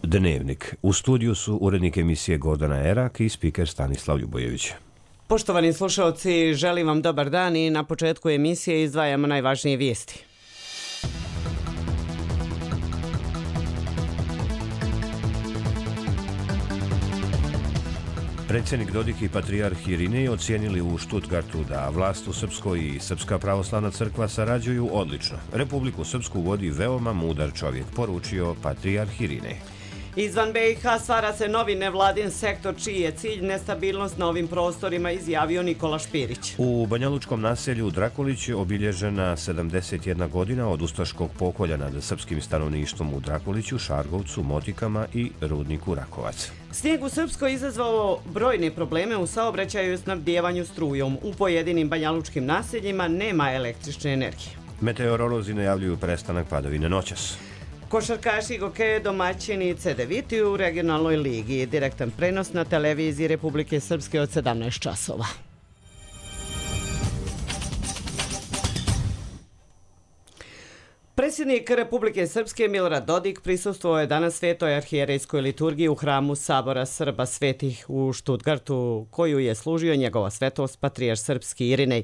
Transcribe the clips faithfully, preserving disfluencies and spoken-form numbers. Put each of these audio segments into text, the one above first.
Dnevnik. U studiju su urednik emisije Gordana Erak i spiker Stanislav Ljubojević. Poštovani slušalci, želim vam dobar dan i na početku emisije izdvajamo najvažnije vijesti. Predsjednik Dodik i patrijarh Irinej ocijenili u Stuttgartu da vlast u Srpskoj i Srpska pravoslavna crkva sarađuju odlično. Republiku Srpsku vodi veoma mudar čovjek, poručio patrijarh Irinej. Izvan B i H stvara se novi nevladin sektor čiji je cilj nestabilnost na ovim prostorima, izjavio Nikola Špirić. U banjalučkom naselju Drakulić je obilježena sedamdeset jedna godina od ustaškog pokolja nad srpskim stanovništvom u Drakuliću, Šargovcu, Motikama i rudniku Rakovac. Snijeg u Srpskoj izazvao brojne probleme u saobraćaju i snabdijevanju strujom. U pojedinim banjalučkim naseljima nema električne energije. Meteorolozi najavljuju prestanak padavine noćas. Košarkaši Gokeje domaćini Cedeviti u regionalnoj ligi. Direktan prenos na televiziji Republike Srpske od sedamnaest časova. Predsjednik Republike Srpske Milorad Dodik prisustvovao je danas svetoj arhijerejskoj liturgiji u hramu Sabora Srba svetih u Stuttgartu, koju je služio njegova svetost patrijarh srpski Irinej.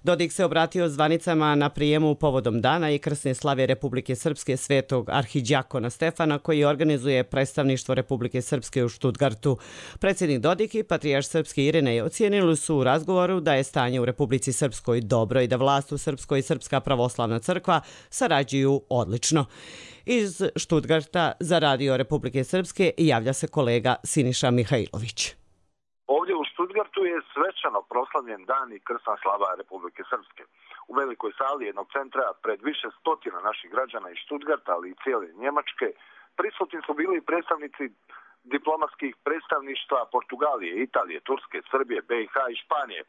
Dodik se obratio zvanicama na prijemu povodom dana i krsne slave Republike Srpske svetog arhidjakona Stefana, koji organizuje predstavništvo Republike Srpske u Stuttgartu. Predsjednik Dodik i patrijarh srpski Irinej ocijenili su u razgovoru da je stanje u Republici Srpskoj dobro i da vlast u Srpskoj i Srpska pravoslavna crkva sarađuju odlično. Iz Stuttgarta za Radio Republike Srpske javlja se kolega Siniša Mihajlović. Ovdje u Stuttgartu je svečano proslavljen dan i krsna slava Republike Srpske. U velikoj sali jednog centra pred više stotina naših građana iz Stuttgarta, ali i cijele Njemačke, prisutni su bili predstavnici diplomatskih predstavništva Portugalije, Italije, Turske, Srbije, B i H i Španije,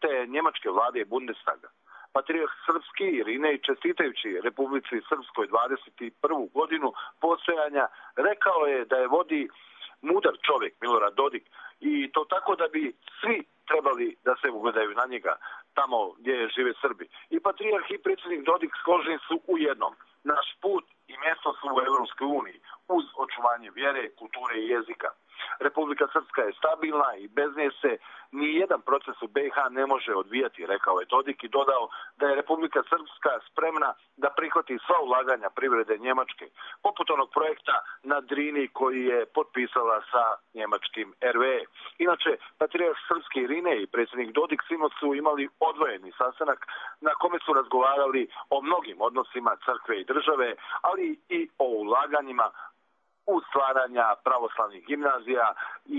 te njemačke vlade i Bundestaga. Patrijarh srpski Irinej, čestitajući Republici Srpskoj dvadeset prvu godinu postojanja, rekao je da je vodi mudar čovjek Milorad Dodik i to tako da bi svi trebali da se ugledaju na njega tamo gdje žive Srbi. I patrijarh i predsjednik Dodik složeni su u jednom. Naš put i mjesto su u Evropskoj uniji uz očuvanje vjere, kulture i jezika. Republika Srpska je stabilna i bez nje se ni jedan proces u B i H ne može odvijati, rekao je Dodik i dodao da je Republika Srpska spremna da prihvati sva ulaganja privrede Njemačke, poput onog projekta na Drini koji je potpisala sa njemačkim R W E. Inače, patrijarh srpski Irinej i predsjednik Dodik sinoć su imali odvojeni sastanak na kome su razgovarali o mnogim odnosima crkve i države, ali i o ulaganjima u stvaranja pravoslavnih gimnazija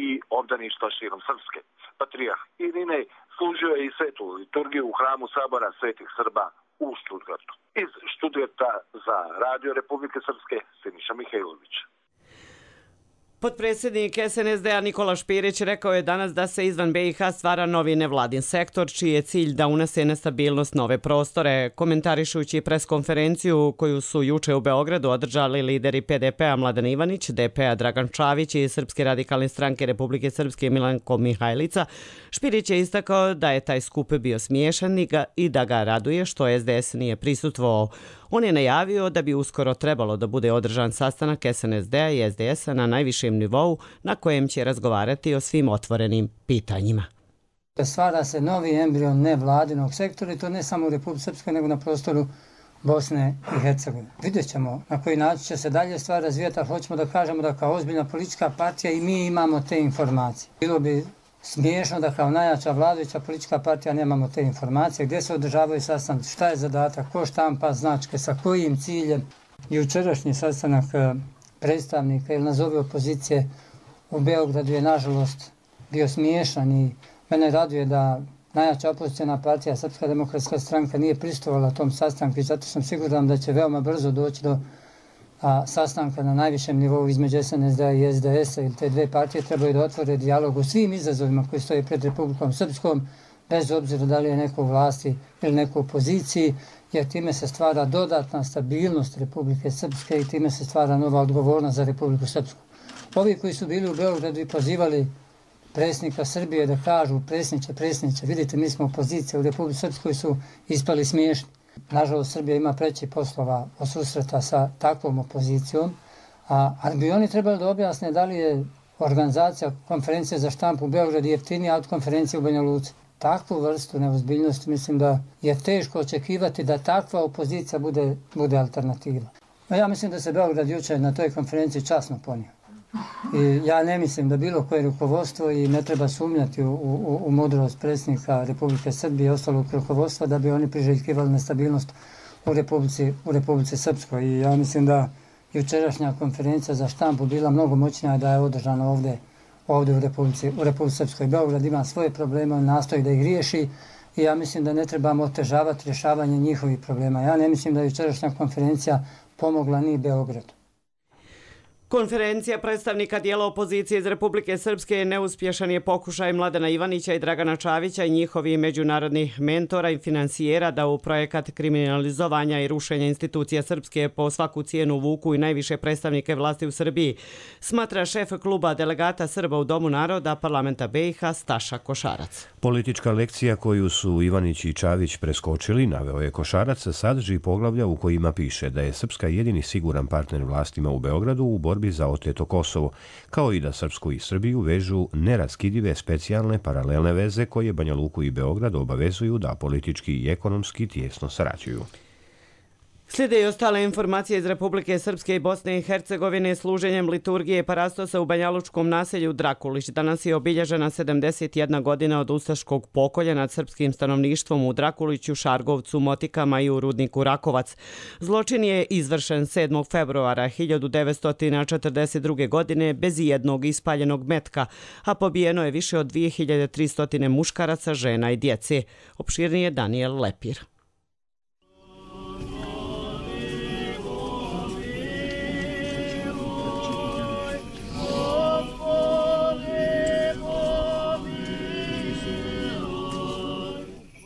i obdaništva širom Srpske. Patrijarh Irinej služio je i svetu liturgiju u hramu Sabora svetih Srba u Stuttgartu. Iz Stuttgarta za Radio Republike Srpske, Siniša Mihajlović. Potpredsjednik S N S D-a Nikola Špirić rekao je danas da se izvan B i H stvara novi nevladin sektor, čiji je cilj da unese nestabilnost nove prostore. Komentarišući preskonferenciju koju su juče u Beogradu održali lideri P D P-a Mladen Ivanić, D P-a Dragan Čavić i Srpske radikalne stranke Republike Srpske Milanko Mihajlica, Špirić je istakao da je taj skup bio smiješan i da ga raduje što S D S nije prisustvovao. On je najavio da bi uskoro trebalo da bude održan sastanak S N S D-a i S D S-a na najvišem nivou na kojem će razgovarati o svim otvorenim pitanjima. Stvara se novi embrion nevladinog sektora i to ne samo u Republici Srpskoj nego na prostoru Bosne i Hercegovine. Vidjet ćemo na koji način će se dalje stvar razvijati, a hoćemo da kažemo da kao ozbiljna politička partija i mi imamo te informacije. Bilo bi smiješno da kao najjača vladajuća politička partija nemamo te informacije, gdje se održavaju sastanci, šta je zadatak, ko štampa značke, sa kojim ciljem. Jučerašnji sastanak predstavnika ili nazovi opozicije u Beogradu je nažalost bio smiješan i mene raduje da najjača opozicijna partija Srpska demokratska stranka nije prisustvovala tom sastanku i zato sam siguran da će veoma brzo doći do a, sastanka na najvišem nivou između S N S D-a i S D S-a, ili te dve partije trebaju da otvore dijalog u svim izazovima koji stoje pred Republikom Srpskom, bez obzira da li je neko u vlasti ili neko u opoziciji, jer time se stvara dodatna stabilnost Republike Srpske i time se stvara nova odgovornost za Republiku Srpsku. Ovi koji su bili u Beogradu i pozivali predsjednika Srbije da kažu predsjedniče, predsjedniče, vidite mi smo opozicija u Republici Srpskoj, su ispali smiješni. Nažalost, Srbija ima preći poslova od susreta sa takvom opozicijom, A, ali bi oni trebali da objasne da li je organizacija konferencije za štampu u Beogradu jeftinija od konferencije u Banja Luci. Takvu vrstu neozbiljnosti mislim da je teško očekivati da takva opozicija bude, bude alternativa. A ja mislim da se Beograd jučer na toj konferenciji časno ponio. I ja ne mislim da bilo koje rukovodstvo i ne treba sumnjati u, u, u mudrost predsjednika Republike Srbije i ostalog rukovodstva da bi oni priželjkivali nestabilnost u Republici, u Republici Srpskoj. I ja mislim da jučerašnja konferencija za štampu bila mnogo moćnija da je održana ovdje, ovdje u Republici, u Republici Srpskoj. Beograd ima svoje probleme, on nastoji da ih riješi i ja mislim da ne trebamo otežavati rješavanje njihovih problema. Ja ne mislim da je jučerašnja konferencija pomogla ni Beogradu. Konferencija predstavnika dijela opozicije iz Republike Srpske neuspješan je pokušaj Mladena Ivanića i Dragana Čavića i njihovih međunarodnih mentora i finansijera da u projekat kriminalizovanja i rušenja institucija Srpske po svaku cijenu vuku i najviše predstavnike vlasti u Srbiji, smatra šef kluba delegata Srba u Domu naroda parlamenta B i H Staša Košarac. Politička lekcija koju su Ivanić i Čavić preskočili, naveo je Košarac, sadrži poglavlja u kojima piše da je Srpska jedini siguran partner vlastima u Beogradu u borbi za oteto Kosovo, kao i da Srpsku i Srbiju vežu neraskidive specijalne paralelne veze koje Banja Luku i Beograd obavezuju da politički i ekonomski tijesno sarađuju. Slijede i ostale informacije iz Republike Srpske i Bosne i Hercegovine. Služenjem liturgije Parastosa u banjalučkom naselju Drakulić danas je obilježena sedamdeset jedna godina od ustaškog pokolja nad srpskim stanovništvom u Drakuliću, Šargovcu, Motikama i u rudniku Rakovac. Zločin je izvršen sedmog februara hiljadu devetsto četrdeset druge. godine bez ijednog ispaljenog metka, a pobijeno je više od dvije hiljade tristo muškaraca, žena i djece. Opširnije Daniel Lepir.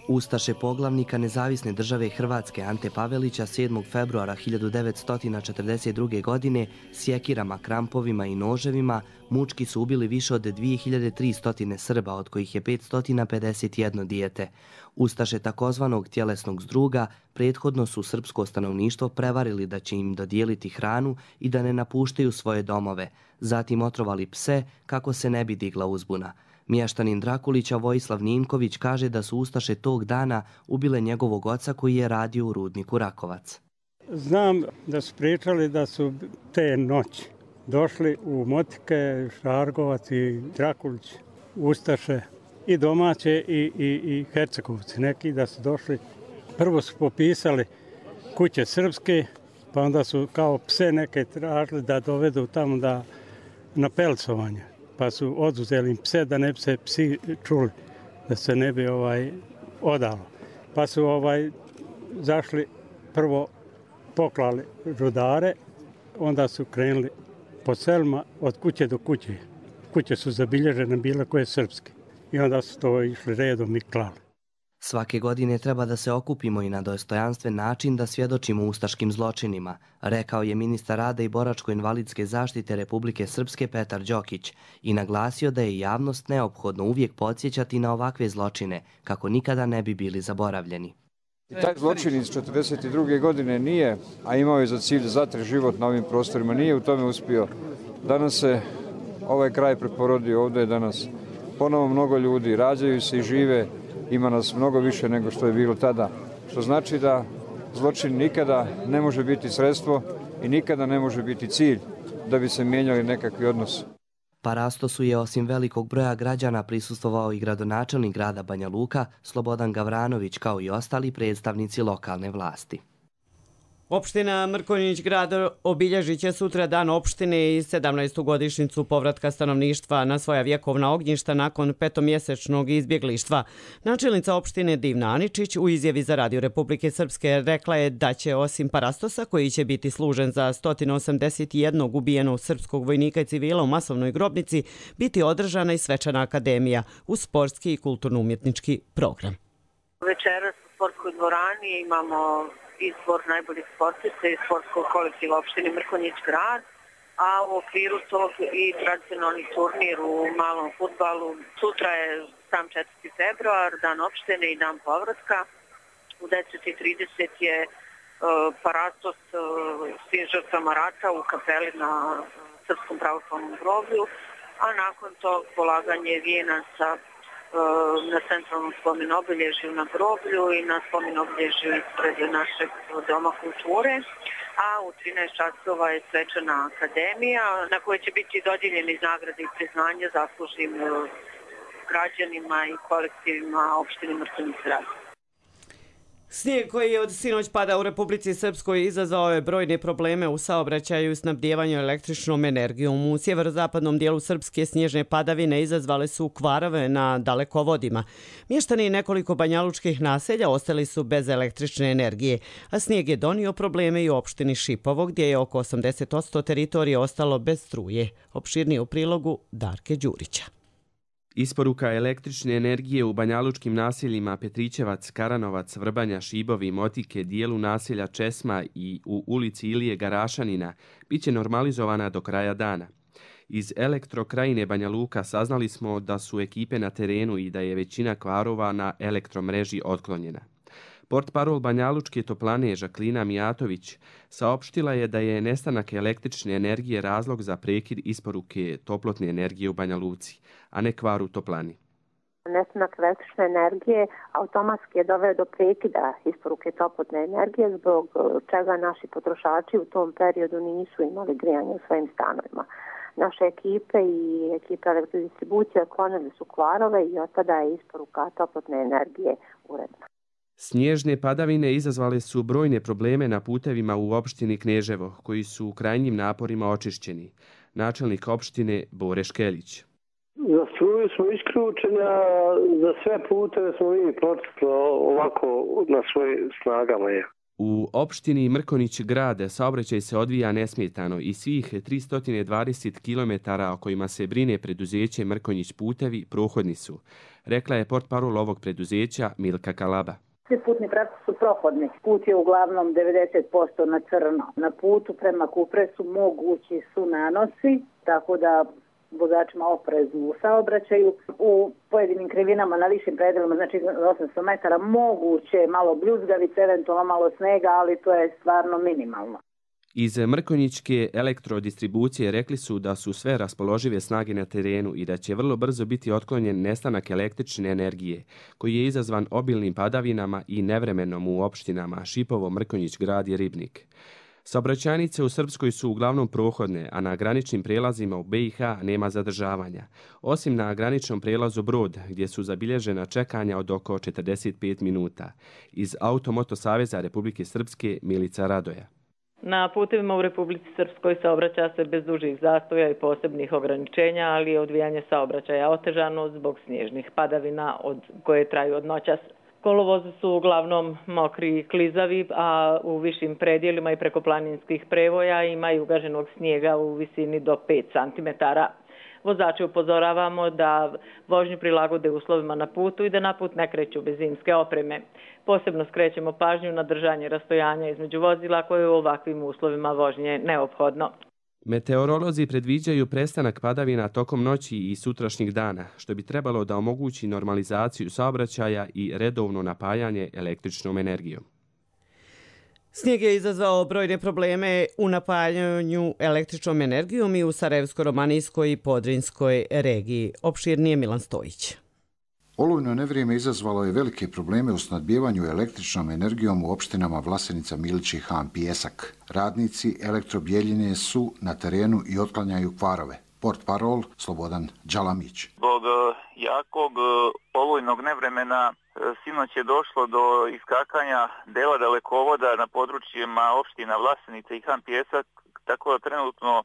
Ustaše poglavnika Nezavisne države Hrvatske Ante Pavelića sedmog februara hiljadu devetsto četrdeset druge. godine sjekirama, krampovima i noževima mučki su ubili više od dvije hiljade tristo Srba, od kojih je petsto pedeset jedno dijete. Ustaše takozvanog tjelesnog zdruga prethodno su srpsko stanovništvo prevarili da će im dodijeliti hranu i da ne napuštaju svoje domove, zatim otrovali pse kako se ne bi digla uzbuna. Mještanin Drakulića Vojislav Ninković kaže da su ustaše tog dana ubile njegovog oca koji je radio u rudniku Rakovac. Znam da su pričali da su te noći došli u Motike, Šargovac i Drakulić, ustaše i domaće i, i, i Hercegovci. Neki da su došli, prvo su popisali kuće srpske, pa onda su kao pse neke tražili da dovedu tamo da, na pelcovanje. Pa su oduzeli im pse da ne bi se psi čuli, da se ne bi ovaj, odalo. Pa su ovaj, zašli, prvo poklali rudare, onda su krenuli po selima od kuće do kuće. Kuće su zabilježene bile koje srpske i onda su to išli redom i klali. Svake godine treba da se okupimo i na dostojanstven način da svjedočimo ustaškim zločinima, rekao je ministar rada i boračko-invalidske zaštite Republike Srpske Petar Đokić i naglasio da je javnost neophodno uvijek podsjećati na ovakve zločine, kako nikada ne bi bili zaboravljeni. I taj zločin iz četrdeset druge. godine nije, a imao je za cilj da zatre život na ovim prostorima, nije u tome uspio. Danas se ovaj kraj preporodio, ovdje je danas ponovo mnogo ljudi, rađaju se i žive. Ima nas mnogo više nego što je bilo tada, što znači da zločin nikada ne može biti sredstvo i nikada ne može biti cilj da bi se mijenjali nekakvi odnosi. Parastosu je osim velikog broja građana prisustvovao i gradonačelnik grada Banja Luka Slobodan Gavranović, kao i ostali predstavnici lokalne vlasti. Opština Mrkonjić grad obilježit će sutra dan opštine i sedamnaestu godišnjicu povratka stanovništva na svoja vjekovna ognjišta nakon petomjesečnog izbjeglištva. Načelnica opštine Divna Aničić u izjavi za Radio Republike Srpske rekla je da će osim Parastosa, koji će biti služen za sto osamdeset jedan ubijenog srpskog vojnika i civila u masovnoj grobnici, biti održana i svečana akademija uz sportski i kulturno-umjetnički program. Večeras u sportskoj dvorani imamo izbor najboljih sportista iz sportskog kolektiva opštine Mrkonjić grad, a u okviru tog i tradicionalni turnir u malom fudbalu. Sutra je sam četvrti februar, dan opštine i dan povratka. U deset i trideset je parastos svim žrtvama rata u kapeli na Srpskom pravoslavnom groblju, a nakon tog polaganje vijenaca na centralnom spomen obilježju na groblju i na spomen obilježju ispred našeg doma kulture. A u trinaest časova je svečana akademija na kojoj će biti dodijeljeni nagrade i priznanja zaslužnim građanima i kolektivima opštine Mrkonjić-Grad. Snijeg koji je od sinoć pada u Republici Srpskoj izazvao je brojne probleme u saobraćaju i snabdijevanju električnom energijom. U sjeverozapadnom dijelu Srpske snježne padavine izazvale su kvarove na dalekovodima. Mještani nekoliko banjalučkih naselja ostali su bez električne energije, a snijeg je donio probleme i u opštini Šipovo, gdje je oko osamdeset posto teritorije ostalo bez struje. Opširnije u prilogu Darke Đurića. Isporuka električne energije u banjalučkim naseljima Petrićevac, Karanovac, Vrbanja, Šibovi, Motike, dijelu naselja Česma i u ulici Ilije Garašanina biće normalizovana do kraja dana. Iz Elektrokrajine Banja Luka saznali smo da su ekipe na terenu i da je većina kvarova na elektromreži otklonjena. Portparol Banjalučke toplane Žaklina Mijatović saopštila je da je nestanak električne energije razlog za prekid isporuke toplotne energije u Banja Luci, a ne kvar u toplani. Nestanak električne energije automatski je doveo do prekida isporuke toplotne energije, zbog čega naši potrošači u tom periodu nisu imali grijanje u svojim stanovima. Naše ekipe i ekipe elektrodistribucije otklonili su kvarove i od tada je isporuka toplotne energije uredna. Snježne padavine izazvale su brojne probleme na putevima u opštini Kneževo, koji su u krajnjim naporima očišćeni. Načelnik opštine Bore Škeljić. Za struju smo isključeni, a za sve puteve smo mi protekli ovako na svojim snagama. Je. U opštini Mrkonjić Grad saobraćaj se odvija nesmetano i svih tristo dvadeset kilometara o kojima se brine preduzeće Mrkonjić putevi prohodni su, rekla je portparol ovog preduzeća Milka Kalaba. Svi putni pravci su prohodni. Put je uglavnom devedeset posto na crno. Na putu prema Kupresu mogući su nanosi, tako da vozačima opreznu u saobraćaju. U pojedinim krivinama na višim predelima, znači osamsto metara, moguće malo bljuzgavice, eventualno malo snega, ali to je stvarno minimalno. Iz Mrkonjićke elektrodistribucije rekli su da su sve raspoložive snage na terenu i da će vrlo brzo biti otklonjen nestanak električne energije, koji je izazvan obilnim padavinama i nevremenom u opštinama Šipovo, Mrkonjić Grad i Ribnik. Saobraćajnice u Srpskoj su uglavnom prohodne, a na graničnim prelazima u B i H nema zadržavanja, osim na graničnom prelazu Brod, gdje su zabilježena čekanja od oko četrdeset pet minuta. Iz Automoto Saveza Republike Srpske Milica Radoja. Na putevima u Republici Srpskoj saobraća se bez dužih zastoja i posebnih ograničenja, ali je odvijanje saobraćaja otežano zbog snježnih padavina od koje traju od noćas. Kolovozi su uglavnom mokri i klizavi, a u višim predjelima i preko planinskih prevoja ima i ugaženog snijega u visini do pet centimetara. Vozače upozoravamo da vožnju prilagode uslovima na putu i da na put ne kreću bez zimske opreme. Posebno skrećemo pažnju na držanje rastojanja između vozila koje je u ovakvim uslovima vožnje neophodno. Meteorolozi predviđaju prestanak padavina tokom noći i sutrašnjih dana, što bi trebalo da omogući normalizaciju saobraćaja i redovno napajanje električnom energijom. Snijeg je izazvao brojne probleme u napajanju električnom energijom i u Sarajevsko-romanijskoj i Podrinskoj regiji. Opširnije Milan Stojić. Olujno nevrijeme izazvalo je velike probleme u snadbijevanju električnom energijom u opštinama Vlasenica, Milić i Han Pijesak. Radnici Elektrobjeljine su na terenu i otklanjaju kvarove. Portparol Slobodan Đalamić. Zbog jakog olujnog nevremena sinoć je došlo do iskakanja dela dalekovoda na područjima opština Vlasenica i Han Pijesak, tako da trenutno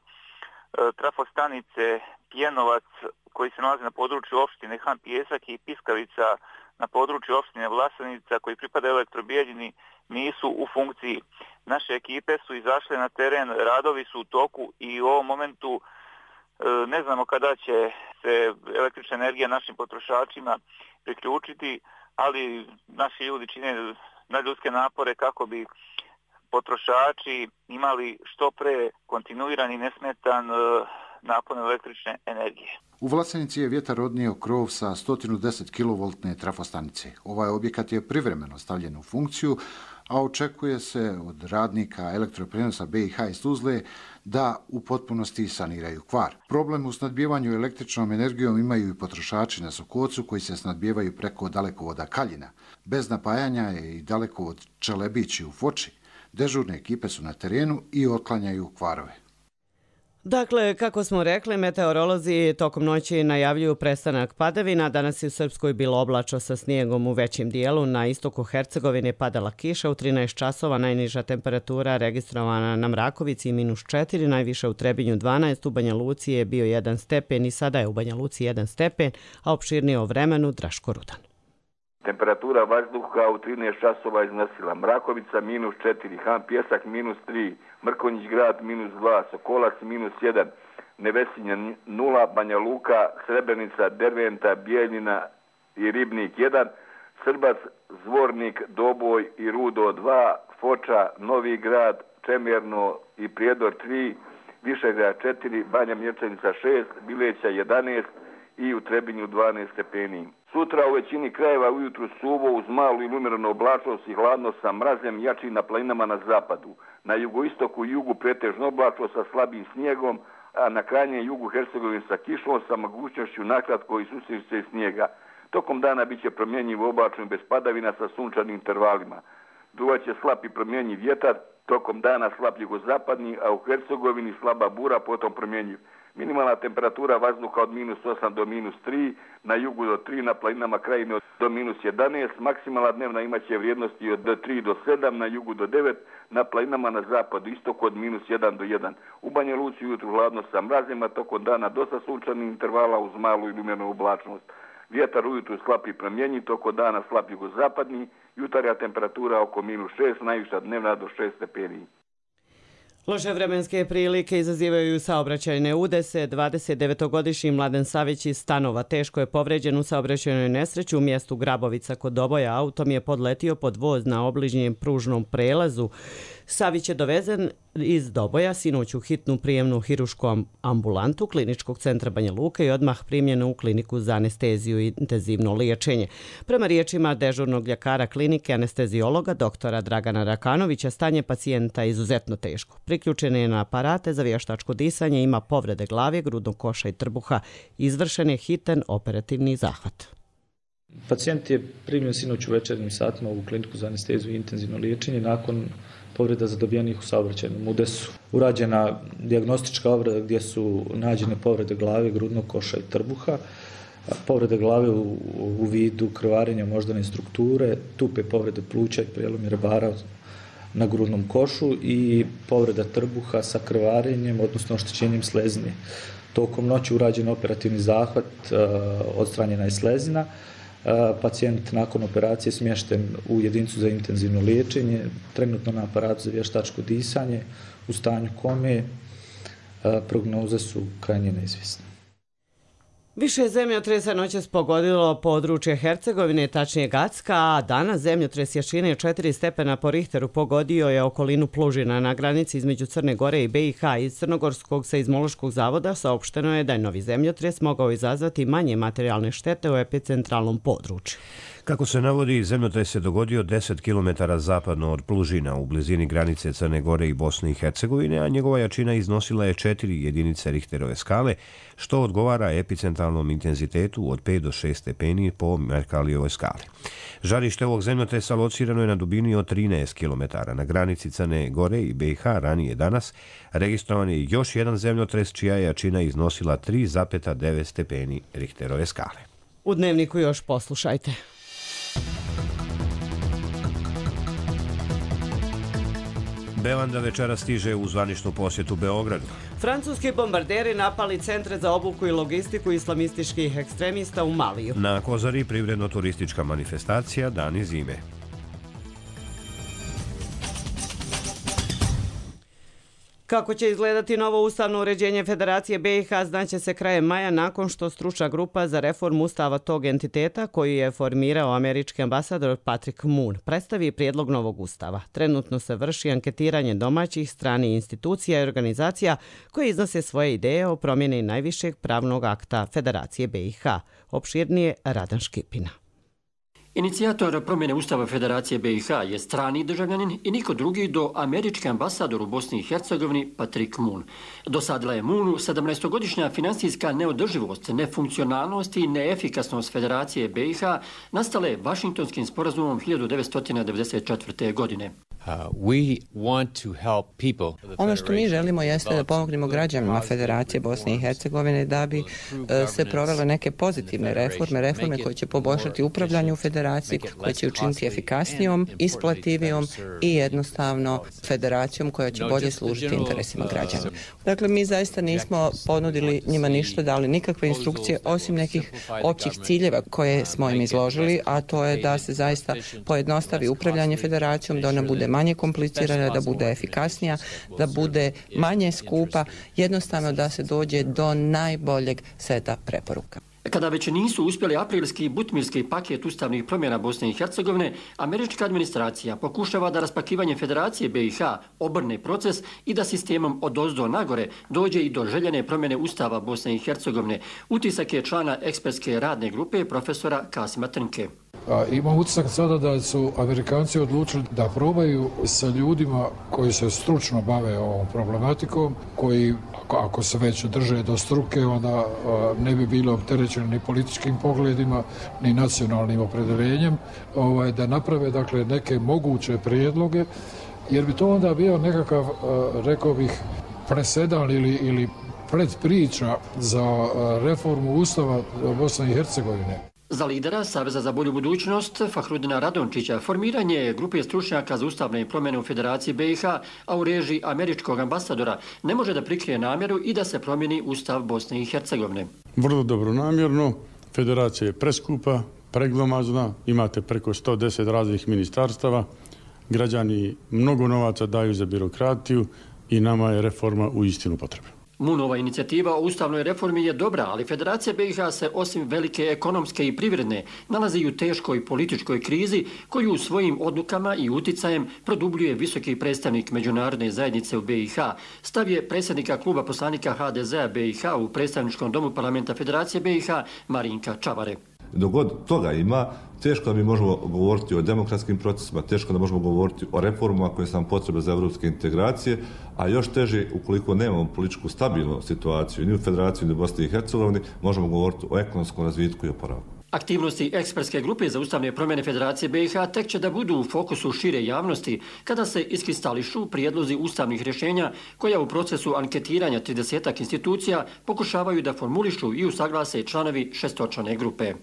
trafostanice Pjenovac koji se nalazi na području opštine Han Pijesak i Piskavica na području opštine Vlasenica koji pripada Elektrobijeljini nisu u funkciji. Naše ekipe su izašle na teren, radovi su u toku i u ovom momentu ne znamo kada će se električna energija našim potrošačima priključiti, ali naši ljudi čine nadljudske napore kako bi potrošači imali što pre kontinuiran i nesmetan napon električne energije. U Vlasenici je vjetar odnio krov sa sto deset kilovoltne trafostanice. Ovaj objekat je privremeno stavljen u funkciju, a očekuje se od radnika elektroprenosa B i H iz Tuzle da u potpunosti saniraju kvar. Problem u snadbijevanju električnom energijom imaju i potrošači na Sokocu koji se snadbijevaju preko dalekovoda Kaljina. Bez napajanja je i dalekovod Čelebići u Foči. Dežurne ekipe su na terenu i otklanjaju kvarove. Dakle, kako smo rekli, meteorolozi tokom noći najavljuju prestanak padavina. Danas je u Srpskoj bilo oblačno sa snijegom u većem dijelu. Na istoku Hercegovine padala kiša u trinaest časova, najniža temperatura registrovana na Mrakovici minus četiri, najviša u Trebinju dvanaest, u Banja Luci je bio jedan stepen i sada je u Banja Luci jedan stepen, a opširnije o vremenu Draško Rudan. Temperatura vazduha u trinaest časova iznosila Mrakovica minus četiri, Han Pjesak minus tri, Mrkonjić grad minus dva, Sokolac minus jedan, Nevesinja nula, Banja Luka, Srebrenica, Derventa, Bijeljina i Ribnik jedan, Srbac, Zvornik, Doboj i Rudo dva, Foča, Novi grad, Čemerno i Prijedor tri, Višegrad četiri, Banja Mječanica šest, Bileća jedanaest i u Trebinju dvanaest stepeni. Sutra u većini krajeva ujutru suvo uz malu ili umjerenu oblačnost i hladno sa mrazem jači na planinama na zapadu. Na jugoistoku i jugu pretežno oblačno sa slabim snijegom, a na krajnjem jugu Hercegovine sa kišom sa mogućnošću nakratko i susreće snijega. Tokom dana bit će promjenjivo oblačno bez padavina sa sunčanim intervalima. Duvaće slab i promjenjiv vjetar, tokom dana slab jugozapadni, a u Hercegovini slaba bura, potom promjenjiv. Minimalna temperatura vazduha od minus osam do minus tri, na jugu do tri, na planinama Krajine do minus jedanaest, maksimalna dnevna imaće vrijednosti od tri do sedam, na jugu do devet, na planinama na zapadu istoku od minus jedan do jedan. U Banja Luci ujutru hladno sa mrazima, tokom dana dosta sunčanih intervala uz malu ili umjerenu oblačnost. Vjetar ujutru slab i promjenjiv, tokom dana slab jugozapadni, jutarnja temperatura oko minus šest, najviša dnevna do šest stepeni. Loše vremenske prilike izazivaju saobraćajne udese. dvadesetdevetogodišnji Mladen Savić iz Stanova teško je povređen u saobraćajnoj nesreći u mjestu Grabovica kod Doboja. Autom je podletio pod voz na obližnjem pružnom prelazu. Savić je dovezen iz Doboja sinoć u hitnu prijemnu hirušku ambulantu Kliničkog centra Banja Luka i odmah primljen u kliniku za anesteziju i intenzivno liječenje. Prema riječima dežurnog ljekara klinike anesteziologa doktora Dragana Rakanovića, stanje pacijenta je izuzetno teško. Priključen je na aparate za vještačko disanje, ima povrede glave, grudnog koša i trbuha. Izvršen je hitan operativni zahvat. Pacijent je primljen sinoć u večernjim satima u kliniku za anesteziju i intenzivno liječenje nakon povreda zadobijenih u saobraćajnom udesu. Urađena dijagnostička obrada gdje su nađene povrede glave, grudnog koša i trbuha, povrede glave u, u vidu krvarenja moždane strukture, tupe povrede pluća i prijelom rebara na grudnom košu i povreda trbuha sa krvarenjem, odnosno oštećenjem slezine. Tokom noći urađen operativni zahvat, odstranjena je slezina. Pacijent nakon operacije smješten u jedinicu za intenzivno liječenje, trenutno na aparatu za vještačko disanje, u stanju kome, prognoze su krajnje neizvjesne. Više zemljotresa noćas pogodilo područje Hercegovine, tačnije Gacka, a danas zemljotres jačine četiri stepena po Richteru pogodio je okolinu Plužina na granici između Crne Gore i B i H. Iz Crnogorskog seizmološkog zavoda saopšteno je da je novi zemljotres mogao izazvati manje materijalne štete u epicentralnom području. Kako se navodi, zemljotres se dogodio deset kilometara zapadno od Plužina u blizini granice Crne Gore i Bosne i Hercegovine, a njegova jačina iznosila je četiri jedinice Richterove skale, što odgovara epicentralnom intenzitetu od pet do šest stepeni po Merkalijevoj skali. Žarište ovog zemljotresa locirano je na dubini od trinaest kilometara. Na granici Crne Gore i B i H ranije danas registrovan je još jedan zemljotres čija je jačina iznosila tri zarez devet stepeni Richterove skale. U Dnevniku još poslušajte. Belanda večera stiže u zvaničnu posjetu Beogradu. Francuski bombarderi napali centre za obuku i logistiku islamističkih ekstremista u Maliju. Na Kozari privredno-turistička manifestacija Dani zime. Kako će izgledati novo ustavno uređenje Federacije B i H znaće se krajem maja nakon što stručna grupa za reformu ustava tog entiteta, koju je formirao američki ambasador Patrick Moon, predstavi prijedlog novog ustava. Trenutno se vrši anketiranje domaćih, stranih institucija i organizacija koje iznose svoje ideje o promjeni najvišeg pravnog akta Federacije B i H. Opširnije Radan Škipina. Inicijator promjene Ustava Federacije B i H je strani državljanin i niko drugi do američki ambasador u Bosni i Hercegovini Patrick Moon. Dosadila je Moonu sedamnaestogodišnja finansijska neodrživost, nefunkcionalnost i neefikasnost Federacije B i H nastale Vašingtonskim sporazumom hiljadu devetsto devedeset četvrte. godine. Ono što mi želimo jeste da pomognemo građanima Federacije Bosne i Hercegovine da bi se provele neke pozitivne reforme, reforme koje će poboljšati upravljanje u Federaciji, koje će učiniti efikasnijom, isplativijom i jednostavno federacijom koja će bolje služiti interesima građana. Dakle, mi zaista nismo ponudili njima ništa, dali nikakve instrukcije osim nekih općih ciljeva koje smo im izložili, a to je da se zaista pojednostavi upravljanje Federacijom, da ona bude manje komplicirana, da bude efikasnija, da bude manje skupa, jednostavno da se dođe do najboljeg seta preporuka. Kada već nisu uspjeli aprilski i butmirski paket ustavnih promjena Bosne i Hercegovine, američka administracija pokušava da raspakivanje Federacije B i H obrne proces i da sistemom odozdo nagore dođe i do željene promjene Ustava Bosne i Hercegovine. Utisak je člana ekspertske radne grupe profesora Kasima Trnke. Imam utisak sada da su Amerikanci odlučili da probaju sa ljudima koji se stručno bave ovom problematikom, koji ako se već drže do struke, onda ne bi bilo opterećeno ni političkim pogledima, ni nacionalnim opredeljenjem, da naprave dakle neke moguće prijedloge, jer bi to onda bio nekakav, rekao bih, presedan ili, ili predpriča za reformu Ustava Bosne i Hercegovine. Za lidera Saveza za bolju budućnost Fahrudina Radončića formiranje grupe stručnjaka za ustavne promjene u Federaciji B i H, a u režiji američkog ambasadora, ne može da prikrije namjeru i da se promijeni Ustav Bosne i Hercegovine. Vrlo dobronamjerno, federacija je preskupa, preglomazna, imate preko sto deset raznih ministarstava, građani mnogo novaca daju za birokratiju i nama je reforma u istinu potrebna. Moonova inicijativa o ustavnoj reformi je dobra, ali Federacija B i H se osim velike ekonomske i privredne nalazi u teškoj političkoj krizi koju svojim odlukama i uticajem produbljuje visoki predstavnik međunarodne zajednice u B i H. Stav je predsjednika kluba poslanika H D Z-a B i H u predstavničkom domu parlamenta Federacije B i H Marinka Čavare. Dok god toga ima, teško da mi možemo govoriti o demokratskim procesima, teško da možemo govoriti o reformama koje su nam potrebne za evropske integracije, a još teže ukoliko nemamo političku stabilnu situaciju ni u Federaciji ni u Bosni i Hercegovini, možemo govoriti o ekonomskom razvitku i oporavku. Aktivnosti ekspertske grupe za ustavne promjene Federacije B i H tek će da budu u fokusu šire javnosti kada se iskristališu prijedlozi ustavnih rješenja koja u procesu anketiranja tridesetak institucija pokušavaju da formulišu i usaglase članovi šestočlane grupe.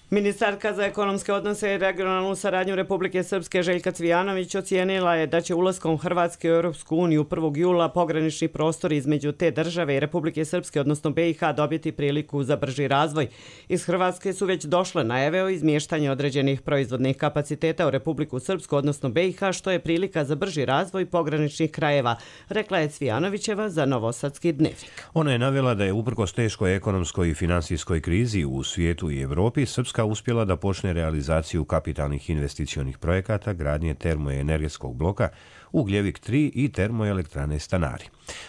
Ministarka za ekonomske odnose i regionalnu saradnju Republike Srpske Željka Cvijanović ocijenila je da će ulaskom Hrvatske u Europsku uniju prvog jula pogranični prostor između te države i Republike Srpske, odnosno B i H, dobiti priliku za brži razvoj. Iz Hrvatske su već došle najave o izmještanju određenih proizvodnih kapaciteta u Republiku Srpsku, odnosno B i H, što je prilika za brži razvoj pograničnih krajeva, rekla je Cvijanovićeva za Novosadski dnevnik. Ona je navela da je uprkos teškoj ekonomskoj i finansijskoj krizi u svijetu i Evropi, Srpska uspjela da počne realizaciju kapitalnih investicionih projekata gradnje termoenergetskog bloka Ugljevik tri i termoelektrane Stanari.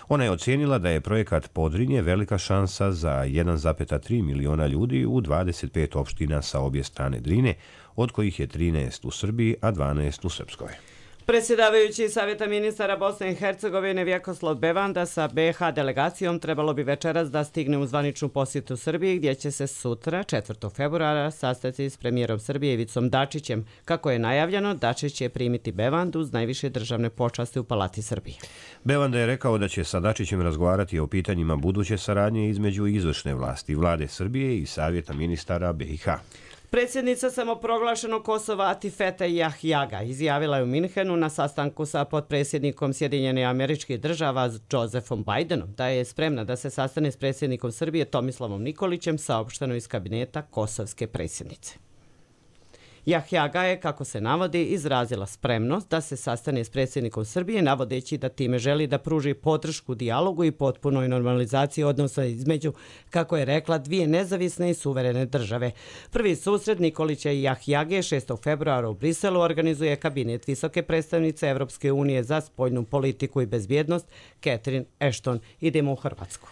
Ona je ocijenila da je projekat Podrinje velika šansa za jedan zarez tri miliona ljudi u dvadeset pet opština sa obje strane Drine, od kojih je trinaest u Srbiji, a dvanaest u Srpskoj. Predsjedavajući Savjeta ministara Bosne i Hercegovine Vjekoslav Bevanda sa B i H delegacijom trebalo bi večeras da stigne u zvaničnu posjetu Srbiji, gdje će se sutra, četvrtog februara, sastati s premijerom Srbije Ivicom Dačićem. Kako je najavljeno, Dačić će primiti Bevandu uz najviše državne počasti u Palati Srbije. Bevanda je rekao da će sa Dačićem razgovarati o pitanjima buduće saradnje između izvršne vlasti Vlade Srbije i Savjeta ministara B i H. Predsjednica samoproglašenog Kosova Atifete Jahjaga izjavila je u Minhenu na sastanku sa potpredsjednikom Sjedinjenih Američkih Država Josephom Bidenom da je spremna da se sastane s predsjednikom Srbije Tomislavom Nikolićem, saopšteno iz kabineta kosovske predsjednice. Jahjaga je, kako se navodi, izrazila spremnost da se sastane s predsjednikom Srbije, navodeći da time želi da pruži podršku dijalogu i potpunoj normalizaciji odnosa između, kako je rekla, dvije nezavisne i suverene države. Prvi susret Nikolića i Jahjage šestog februara u Briselu organizuje kabinet visoke predstavnice Evropske unije za spoljnu politiku i bezbjednost Catherine Ashton. Idemo u Hrvatsku.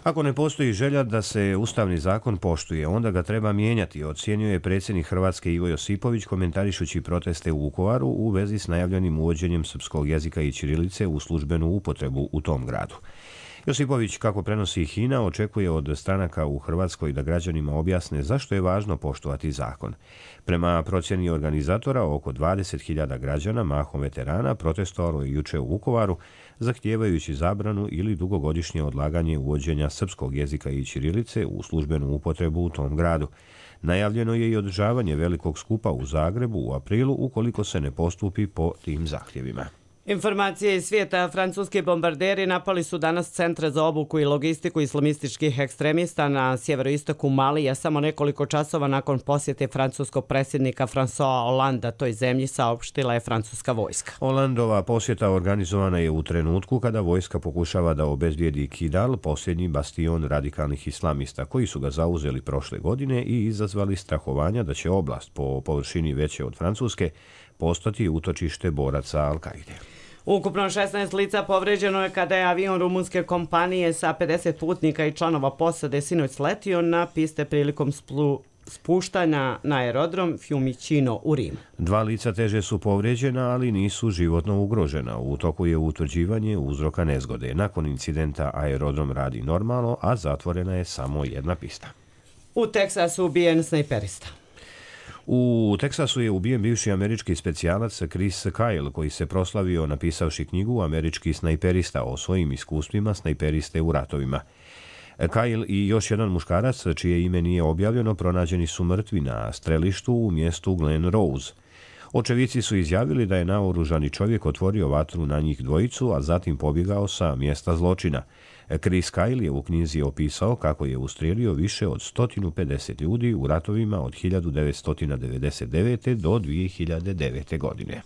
Ako ne postoji želja da se ustavni zakon poštuje, onda ga treba mijenjati, ocjenjuje predsjednik Hrvatske Ivo Josipović komentarišući proteste u Vukovaru u vezi s najavljenim uvođenjem srpskog jezika i ćirilice u službenu upotrebu u tom gradu. Josipović, kako prenosi HINA, očekuje od stranaka u Hrvatskoj da građanima objasne zašto je važno poštovati zakon. Prema procjeni organizatora, oko dvadeset hiljada građana, mahom veterana, protestovalo je juče u Vukovaru, zahtijevajući zabranu ili dugogodišnje odlaganje uvođenja srpskog jezika i ćirilice u službenu upotrebu u tom gradu. Najavljeno je i održavanje velikog skupa u Zagrebu u aprilu ukoliko se ne postupi po tim zahtjevima. Informacije iz svijeta. Francuski bombarderi napali su danas centre za obuku i logistiku islamističkih ekstremista na sjeveroistoku Malija samo nekoliko časova nakon posjete francuskog predsjednika François Hollanda toj zemlji, saopštila je francuska vojska. Hollandova posjeta organizovana je u trenutku kada vojska pokušava da obezbijedi Kidal, posljednji bastion radikalnih islamista, koji su ga zauzeli prošle godine i izazvali strahovanja da će oblast po površini veće od Francuske postati utočište boraca Al-Kaide. Ukupno šesnaest lica povređeno je kada je avion rumunske kompanije sa pedeset putnika i članova posade sinoć sletio na piste prilikom splu spuštanja na aerodrom Fiumicino u Rimu. Dva lica teže su povređena, ali nisu životno ugrožena. U toku je utvrđivanje uzroka nezgode. Nakon incidenta aerodrom radi normalno, a zatvorena je samo jedna pista. U Teksasu ubijen snajperista. U Teksasu je ubijen bivši američki specijalac Chris Kyle, koji se proslavio napisavši knjigu Američki snajperista o svojim iskustvima snajperiste u ratovima. Kyle i još jedan muškarac, čije ime nije objavljeno, pronađeni su mrtvi na strelištu u mjestu Glen Rose. Očevici su izjavili da je naoružani čovjek otvorio vatru na njih dvojicu, a zatim pobjegao sa mjesta zločina. Chris Kyle je u knjizi opisao kako je ustrijelio više od sto pedeset ljudi u ratovima od hiljadu devetsto devedeset devete. do dvije hiljade devete. godine.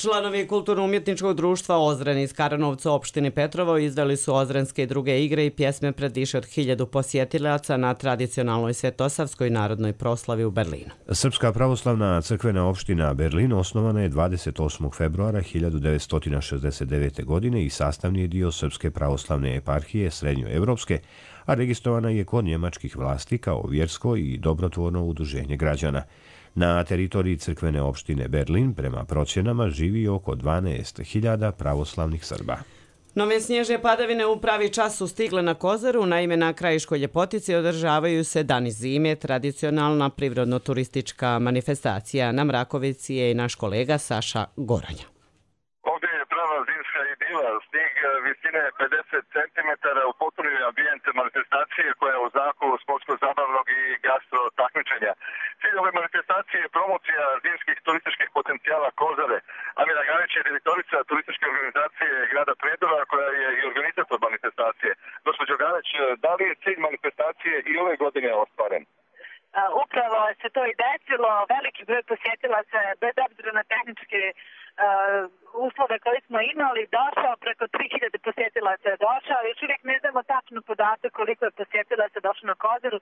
Članovi kulturno-umjetničkog društva Ozren iz Karanovca opštine Petrovo izdali su ozrenske i druge igre i pjesme pred više od hiljadu posjetilaca na tradicionalnoj svetosavskoj narodnoj proslavi u Berlinu. Srpska pravoslavna crkvena opština Berlin osnovana je dvadeset osmog februara hiljadu devetsto šezdeset devete. godine i sastavni je dio Srpske pravoslavne eparhije srednjoevropske, a registrovana je kod njemačkih vlasti kao vjersko i dobrotvorno udruženje građana. Na teritoriji crkvene opštine Berlin prema procjenama živi oko dvanaest hiljada pravoslavnih Srba. Nove snježne padavine u pravi čas su stigle na Kozaru, naime na Krajiškoj ljepotici održavaju se Dani zime, tradicionalna prirodno-turistička manifestacija. Na Mrakovici je i naš kolega Saša Goranja. Ovdje je prava zimska idila, snijeg visine pedeset centimetara, u potpuni ambijent manifestacije koja je u znaku sportsko-zabavnog i gastro takmičenja. Cilj ove manifestacije je promocija zimskih turističkih potencijala Kozare. Amira Ganić je direktorica turističke organizacije grada Prijedora koja je i organizator manifestacije. Gospođo Ganić, da li je cilj manifestacije i ove godine ostvaren? Upravo se to i desilo, veliki broj posjetilaca bez obzira na tehničke uh, uslove koje smo imali, došao, preko tri hiljade posjetilaca je došao, još uvijek ne znamo tačno podatak koliko je posjetilaca došlo na Kozaru,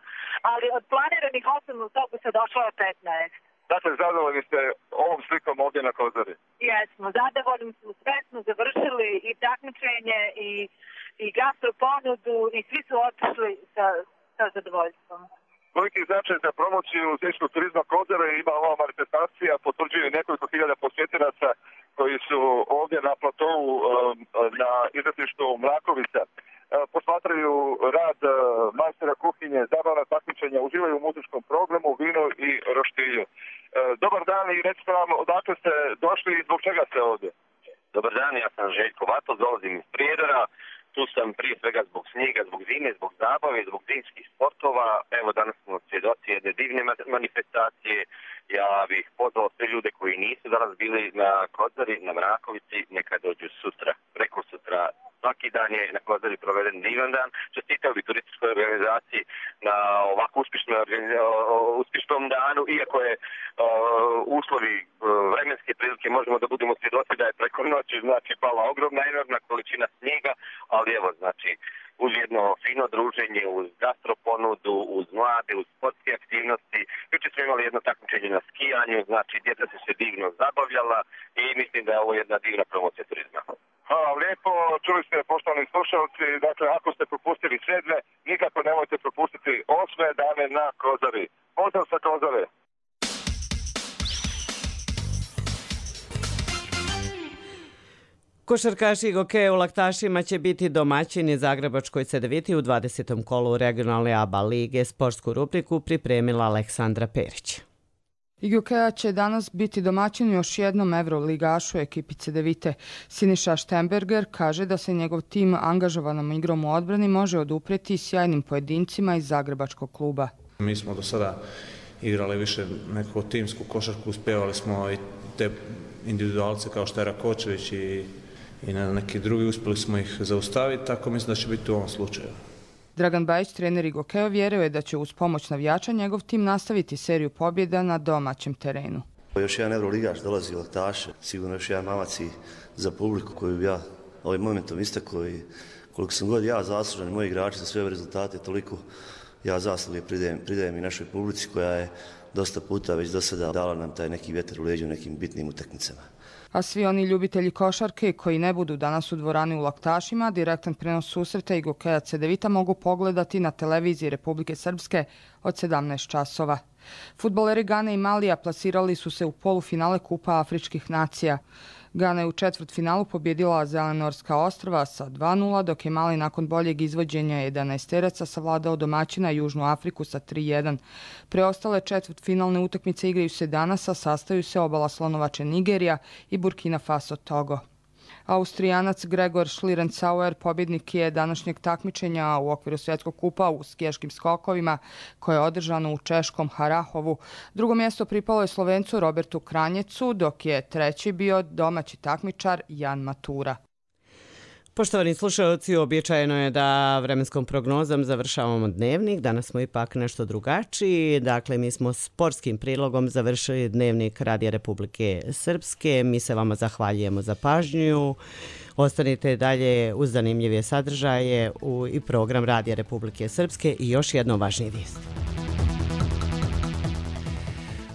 ali od planiranih osam autobusa došlo je petnaest. Dakle, zadovoljni ste ovom slikom ovdje na Kozari? Jesmo, zadovoljni smo, sve smo završili i takmičenje i, i gastro ponudu i svi su otišli sa, sa zadovoljstvom. Koliki značaj za promociju zimskog turizma Kozare ima ova manifestacija, potvrđuju nekoliko hiljada posjetilaca koji su ovdje na platovu na izletištu Mrakovica. Posmatraju rad majstora kuhinje, zabavna takmičenja, uživaju u muzičkom programu, vinu i roštilju. Dobar dan i recite nam odakle ste došli i zbog čega ste ovdje? Dobar dan, ja sam Željko Vato, dolazim iz Prijedora. Tu sam prije svega zbog snijega, zbog zime, zbog zabave, zbog zimskih sportova. Evo danas smo svjedoci jedne divne manifestacije. Ja bih pozvao sve ljude koji nisu danas bili na Kozari, na Mrakovici, neka dođu sutra, preko sutra, svaki dan je na Kozari proveden divan dan. Čestitao bi turističkoj organizaciji na ovako uspješnom, uspješnom danu, iako je uh, uslovi uh, vremenske prilike možemo da budemo svjedoci da je preko noći znači pala ogromna, enormna količina snijega, ali evo znači uz jedno fino druženje, uz gastroponudu, uz mlade, uz sportske aktivnosti. Juče smo imali jedno takmičenje na skijanju, znači djeca su se divno zabavljala i mislim da je ovo jedna divna promocija turizma. Hvala lijepo, čuli ste poštovani slušalci, dakle ako ste propustili sedme, nikako nemojte propustiti osme dane na Kozari. Pozdrav sa Kozare! Košarkaši Gokeja u Laktašima će biti domaćini Zagrebačkoj Cedeviti u dvadesetom kolu regionalne A B A lige. Sportsku rubriku pripremila Aleksandra Perić. Gokeja će danas biti domaćin još jednom evroligašu ekipi Cedevite. Siniša Štemberger kaže da se njegov tim angažovanom igrom u odbrani može odupreti sjajnim pojedincima iz Zagrebačkog kluba. Mi smo do sada igrali više neku timsku košarku, uspjevali smo i te individualce kao što je Rakočević i i na neki drugi uspjeli smo ih zaustaviti, tako mislim da će biti u ovom slučaju. Dragan Bajić, trener Gokeja, vjeruje da će uz pomoć navijača njegov tim nastaviti seriju pobjeda na domaćem terenu. Još jedan evroligaš dolazi u Laktaše, sigurno još jedan mamac i za publiku koju bi ja ovim momentom istakao i koliko sam god ja zaslužan i moji igrači za sve ove rezultate, toliko ja zasluge pridajem, pridajem i našoj publici koja je dosta puta već do sada dala nam taj neki vjetar u leđu u nekim bitnim utakmicama. A svi oni ljubitelji košarke koji ne budu danas u dvorani u Laktašima, direktan prenos susreta i Gokeja Cedevita mogu pogledati na televiziji Republike Srpske od sedamnaest časova. Fudbaleri Gane i Malija plasirali su se u polufinale Kupa Afričkih nacija. Gana je u četvrtfinalu pobjedila Zelenorska ostrva sa dva nula, dok je Mali nakon boljeg izvođenja jedanaesteraca savladao domaćina Južnu Afriku sa tri jedan. Preostale četvrtfinalne utakmice igraju se danas, a sastaju se Obala Slonovače Nigerija i Burkina Faso Togo. Austrijanac Gregor Schlierencauer pobjednik je današnjeg takmičenja u okviru svjetskog kupa u skijaškim skokovima koje je održano u češkom Harahovu. Drugo mjesto pripalo je Slovencu Robertu Kranjecu, dok je treći bio domaći takmičar Jan Matura. Poštovani slušalci, običajno je da vremenskom prognozom završavamo dnevnik. Danas smo ipak nešto drugačiji. Dakle, mi smo sportskim prilogom završili dnevnik Radija Republike Srpske. Mi se vama zahvaljujemo za pažnju. Ostanite dalje uz zanimljive sadržaje u i program Radija Republike Srpske i još jedno važnije vijest.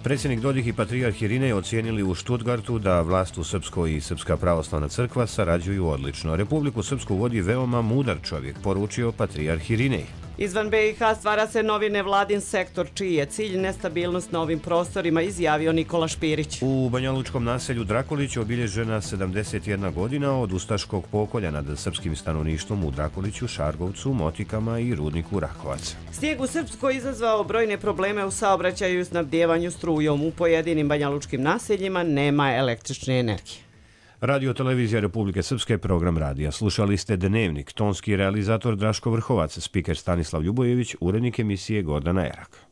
Predsjednik Dodik i patrijarh Irinej ocijenili u Štutgartu da vlast u Srpskoj i Srpska pravoslavna crkva sarađuju odlično. Republiku Srpsku vodi veoma mudar čovjek, poručio patrijarh Irinej. Izvan B i H stvara se novi nevladin sektor, čiji je cilj nestabilnost na ovim prostorima, izjavio Nikola Špirić. U banjalučkom naselju Drakolić obilježena sedamdeset jedna godina od ustaškog pokolja nad srpskim stanovništvom u Drakoliću, Šargovcu, Motikama i rudniku Rakovac. Snijeg u Srpskoj izazvao brojne probleme u saobraćaju i snabdjevanju strujom. U pojedinim banjalučkim naseljima nema električne energije. Radio Televizija Republike Srpske, program radija. Slušali ste Dnevnik, tonski realizator Draško Vrhovac, spiker Stanislav Ljubojević, urednik emisije Gordana Erak.